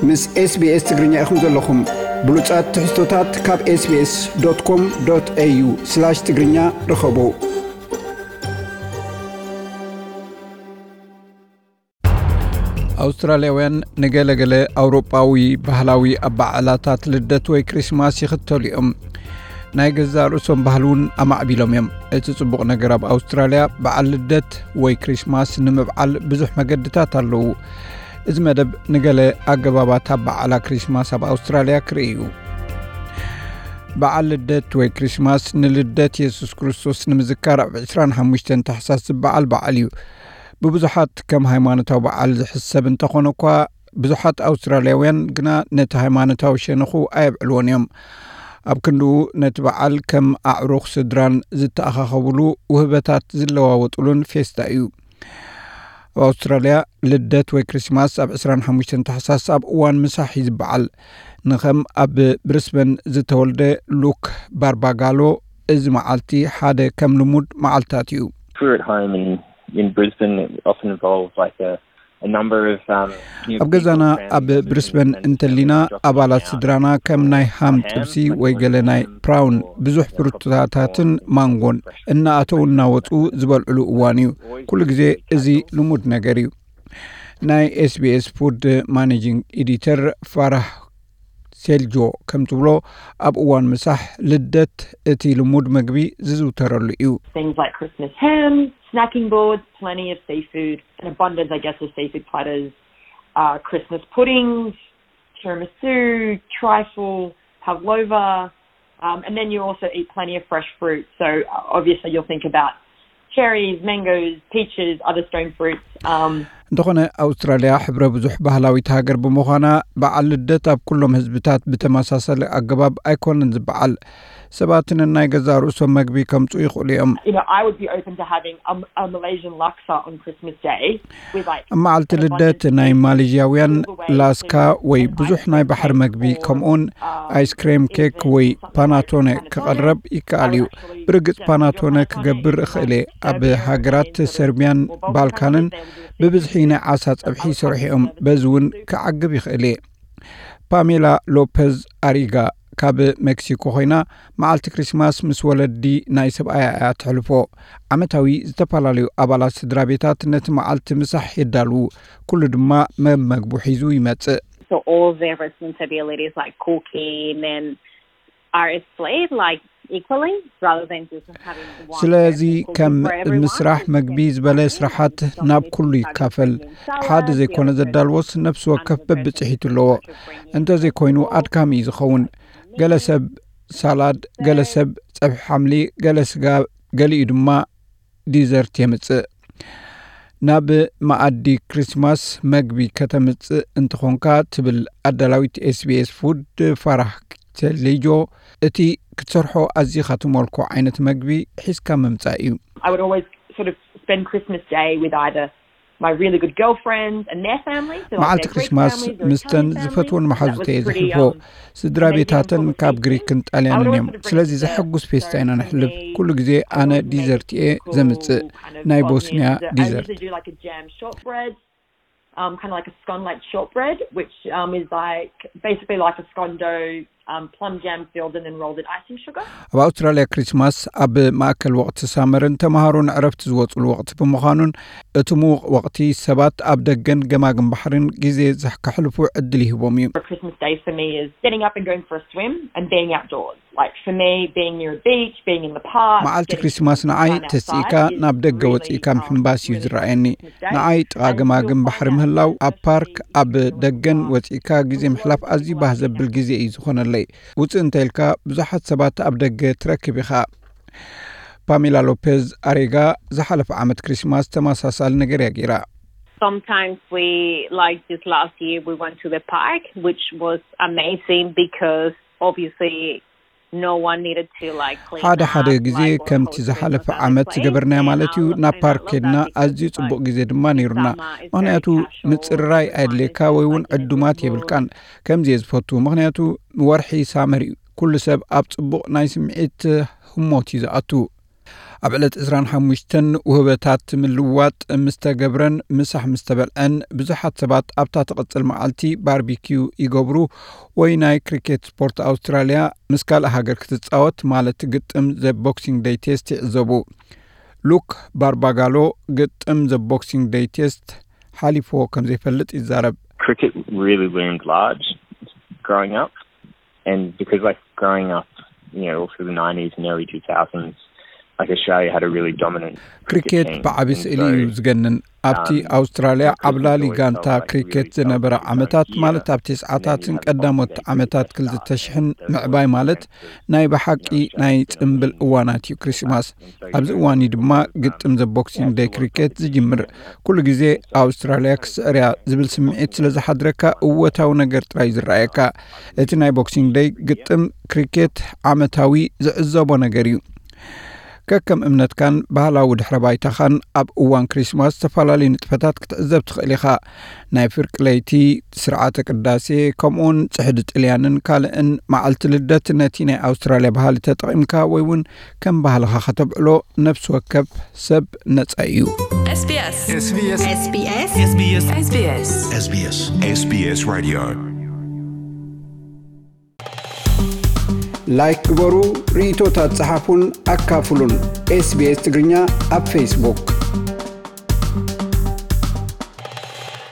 ምስ SBS ትግርኛ ኢኹም ዘለኹም። ብሉጻት ትሕዝቶታት ካብ SBS.com.au/ትግርኛ ርኸቡ። ኣውስትራልያውያን ንገለገለ ኣውሮጳዊ ባህላዊ ኣበዓዕላታት ልደት ወይ ክሪስማስ ይኽተሉ እዮም። ናይ ገዛእ ርእሶም ባህሊ እውን ኣማዕቢሎም እዮም። እቲ ጽቡቕ ነገር፣ ኣብ ኣውስትራልያ በዓል ልደት ወይ ክሪስማስ ንምብዓል ብዙሕ መገድታት ኣለዉ። እዚ መደብ ንገለ ኣገባባት ኣበዓዕላ ክሪስማስ ኣብ ኣውስትራልያ ክርኢ እዩ። በዓል ልደት ወይ ክሪስማስ ንልደት የሱስ ክርስቶስ ንምዝካር ኣብ ዕስራን ሓሙሽተን ታሕሳስ ዝበዓል በዓል እዩ። ብብዙሓት ከም ሃይማኖታዊ በዓል ዝሕሰብ እንተኾነ እኳ፣ ብዙሓት ኣውስትራልያውያን ግና ነቲ ሃይማኖታዊ ሸነኹ ኣየብዕልዎን እዮም። ኣብ ክንድኡ፣ ነቲ በዓል ከም ኣዕሩኽ ስድራን ዝተኣኻኸብሉ፣ ውህበታት ዝለዋወጥሉን ፌስታ እዩ። ኣብ ኣውስትራልያ፣ ልደት ወይ ክሪስማስ ኣብ ዕስራን ሓሙሽተን ታሕሳስ ኣብ እዋን ምሳሕ እዩ ዝበዓል። ንኸም ኣብ ብሪስበን ዝተወልደ ሉክ ባርባጋሎ፣ እዚ መዓልቲ ሓደ ከም ልሙድ መዓልታት እዩ። We're at home in, in Brisbane, it often involves, like, a, a number of, um, new ኣብ ገዛና people, ኣብ friends, ብሪስበን and እንተሊና፣ everyone dropping ኣባላት out ስድራና ከም ናይ ሃም and ጥብሲ ወይ ገለ ናይ um, ብራውን፣ ብዙሕ ፍሩታታትን ማንጎን እናኣተው እናወፁ ዝበልዕሉ እዋን እዩ። ኩሉ ግዜ እዚ ልሙድ ነገር እዩ። ናይ SBS ፉድ ማኔጂንግ ኤዲተር ፋራህ ሴልጆ ከም ትብሎ፣ ኣብ እዋን ምሳሕ ልደት እቲ ልሙድ መግቢ ዝዝውተረሉ እዩ። Things like Christmas ham, snacking boards, plenty of seafood, an abundance, I guess, of seafood platters, uh, Christmas puddings, tiramisu, trifle, pavlova, um, and then you also eat plenty of fresh fruit. So, uh, obviously, you'll think about cherries, mangoes, peaches, other stone fruits. Um, እንተኾነ፣ ኣውስትራልያ ሕብረ ብዙሕ ባህላዊት ሃገር ብምዃና፣ በዓል ልደት ኣብ ኩሎም ህዝብታት ብተመሳሳሊ ኣገባብ ኣይኮነን ዝበዓል። ሰባት ነናይ ገዛእ ርእሶም መግቢ ከምጽኡ ይኽእሉ እዮም። You know, I would be open to having a, a Malaysian laksa on Christmas Day with, like, ኣብ መዓልቲ ልደት ናይ ማሌዥያውያን ላስካ ወይ ብዙሕ ናይ ባሕሪ መግቢ፣ ከምኡውን ኣይስክሬም ኬክ ወይ ፓናቶነ ክቐርብ ይከኣል እዩ። ብርግጽ ፓናቶነ ክገብር እኽእል እየ። ኣብ ሃገራት ሰርቢያን ባልካንን ብብዝሒ ናይ ዓሳ ጸብሒ ይሰርሑ እዮም። በዚ እውን ክዓግብ ይኽእል እየ። ፓሜላ ሎፐዝ ኣሪጋ ካብ ሜክሲኮ ኮይና፣ መዓልቲ ክሪስማስ ምስ ወለዲ ናይ ሰብኣያ እያ ተሕልፎ። ዓመታዊ ዝተፈላለዩ ኣባላት ስድራ ቤታት ነቲ መዓልቲ ምሳሕ የዳልዉ። ኩሉ ድማ መመግቡ ሒዙ ይመጽእ። So all their responsibilities like cooking and are split, like, equally, rather than just having one ስለዚ person cooking ከም for everyone. ምስራሕ መግቢ ዝበለ ስራሓት ናብ ኩሉ ይካፈል። ሓደ ዘይኮነ ዘዳልዎስ ነፍሲ ወከፍ በብጽሒቱ ኣለዎ። እንተዘይኮይኑ ኣድካሚ እዩ ዝኸውን። ገለ ሰብ ሳላድ፣ ገለ ሰብ ጸብሒ ሓምሊ፣ ገለ ስጋ፣ ገሊኡ ድማ ዲዘርት የምጽእ። ናብ መኣዲ ክሪስማስ መግቢ ከተምጽእ እንተኾንካ፣ ትብል ኣዳላዊት SBS ፉድ ፋራህ ቴሌጆ፣ እቲ ክትሰርሖ ኣዚኻ ትመልኮ ዓይነት መግቢ ሒዝካ ምምጻእ እዩ። I would always sort of spend Christmas Day with either my really good girlfriends and their families, so, like, መዓልቲ their Greek ክሪስማስ families or ምስቶም Italian ዝፈትዎን families, so that was መሓዙተይ pretty, ዘሕልፎ። Um, ስድራ ቤታተን ካብ ግሪክን ጣልያንን እዮም። ስለዚ ዘሐጉስ ፌስታ ኢና ነሕልፍ። ኩሉ ግዜ ኣነ ዲዘርት እየ ዘምጽእ፣ ናይ ቦስንያ ዲዘርት። Um, kind of like a scone-like shortbread, which, um, is like, basically like a scone dough, um, plum jam filled and then rolled in icing sugar. ኣብ ኣውስትራልያ ክሪስማስ ኣብ ማእከል ወቕቲ ሳመርን ተምሃሮን ዕረፍቲ ዝወጽሉ ወቕቲ ብምዃኑን፣ እቲ ምዉቕ ወቕቲ ሰባት ኣብ ደገን ገማግም ባሕርን ግዜ ዘሕ-፣ ከሕልፉ ዕድል ይህቦም እዩ። Christmas Day for me is getting up and going for a swim and being outdoors. Like, for me, being near a beach, being in the park, መዓልቲ getting ክሪስማስ ንዓይ time ተስኢካ outside is ናብ ደገ really, ወጺእካ um, ምሕንባስ እዩ really ዝረኣየኒ። Christmas Day. ንዓይ ጥቓ And ገማግም you'll ባሕሪ find out ምህላው፣ ኣብ ፓርክ፣ ኣብ ደገን ወጺእካ ግዜ ምሕላፍ ኣዝዩ ባህ ዘብል ግዜ እዩ ዝኾነለይ። ውጽእ እንተ ኢልካ፣ ብዙሓት ሰባት ኣብ ደገ ትረክብ ኢኻ። ፓሜላ ሎፔዝ ኣሬጋ ዝሓለፈ ዓመት ክሪስማስ ተመሳሳሊ ነገር እያ ገይራ። Sometimes we, like this last year, we went to the park, which was amazing because obviously no one needed to, like, clean ሓደ ሓደ up, ግዜ like, wash ከምቲ clothes ዝሓለፈ from ዓመት the ዝገበርናዮ place. ማለት እዩ፣ Um, ናብ and I ፓርክ love ከድና that because ኣዝዩ it's ጽቡቕ like ግዜ ድማ ነይሩና። Summer is very ምኽንያቱ casual, ምጽርራይ everyone ኣየድልየካ is ወይ እውን just, like, in a good ዕዱማት mood. የብልካን። ከምዚ እየ ዝፈቱ፣ ምኽንያቱ ወርሒ ሳመር እዩ። ኩሉ ሰብ ኣብ ጽቡቕ ናይ ስምዒት ህሞት እዩ ዝኣቱ። ኣብ ዕለት ዕስራን ሓሙሽተን ውህበታት ምልዋጥ ምስ ተገብረን፣ ምሳሕ ምስ ተበልዐን፣ ብዙሓት ሰባት ኣብታ ትቕጽል መዓልቲ ባርቢኪዩ ይገብሩ ወይ ናይ ክሪኬት ስፖርት። ኣውስትራልያ ምስ ካልእ ሃገር ክትጻወት፣ ማለት ግጥም ዘ ቦክሲንግ ደይ ቴስት፣ ይዕዘቡ። ሉክ ባርባጋሎ ግጥም ዘ ቦክሲንግ ደይ ቴስት ሓሊፍዎ ከም ዘይፈልጥ ይዛረብ። Cricket really loomed large growing up, and because, like, growing up, you know, all through the nineties and early two thousands, like, Australia had a really dominant cricket ክሪኬት team. ብዓቢ And ስእሊ so, እዩ ዝገንን። ኣብቲ um, ኣውስትራልያ cricket ዓብላሊ was always ጋንታ felt like a really ክሪኬት ዝነበረ dominant ዓመታት፣ year. ማለት ኣብቲ ሰዓታትን ቀዳሞት ዓመታት ክልተ ሽሕን ምዕባይ ማለት ናይ ብሓቂ ናይ ጽምብል እዋናት እዩ ክሪስማስ። ኣብዚ እዋን እዩ ድማ ግጥም ዘ ቦክሲንግ ደይ ክሪኬት ዝጅምር። ኩሉ ግዜ ኣውስትራልያ ክስዕር እያ ዝብል ስምዒት ስለ ዝሓድረካ፣ እወታዊ ነገር ጥራይ ዝረኣየካ። እቲ ናይ ቦክሲንግ ደይ ግጥም ክሪኬት ዓመታዊ ዝዕዘቦ ነገር እዩ። ከከም እምነትካን ባህላዊ ድሕረ ባይታኻን፣ ኣብ እዋን ክሪስማስ ዝተፈላለዩ ንጥፈታት ክትዕዘብ ትኽእል ኢኻ። ናይ ፍርቂ ለይቲ፣ ስርዓተ ቅዳሴ፣ ከምኡውን ጽሕዲ ጥልያንን ካልእን። መዓልቲ ልደት ነቲ ናይ ኣውስትራልያ ባህሊ ተጠቒምካ ወይ እውን ከም ባህልኻ ከተብዕሎ ነፍሲ ወከፍ ሰብ ነጻ እዩ። SBS SBS SBS SBS SBS SBS Radio. ላይክ ግበሩ፣ ርእይቶታት ጸሓፉን ኣካፍሉን። ኤስቢኤስ ትግርኛ ኣብ ፌስቡክ።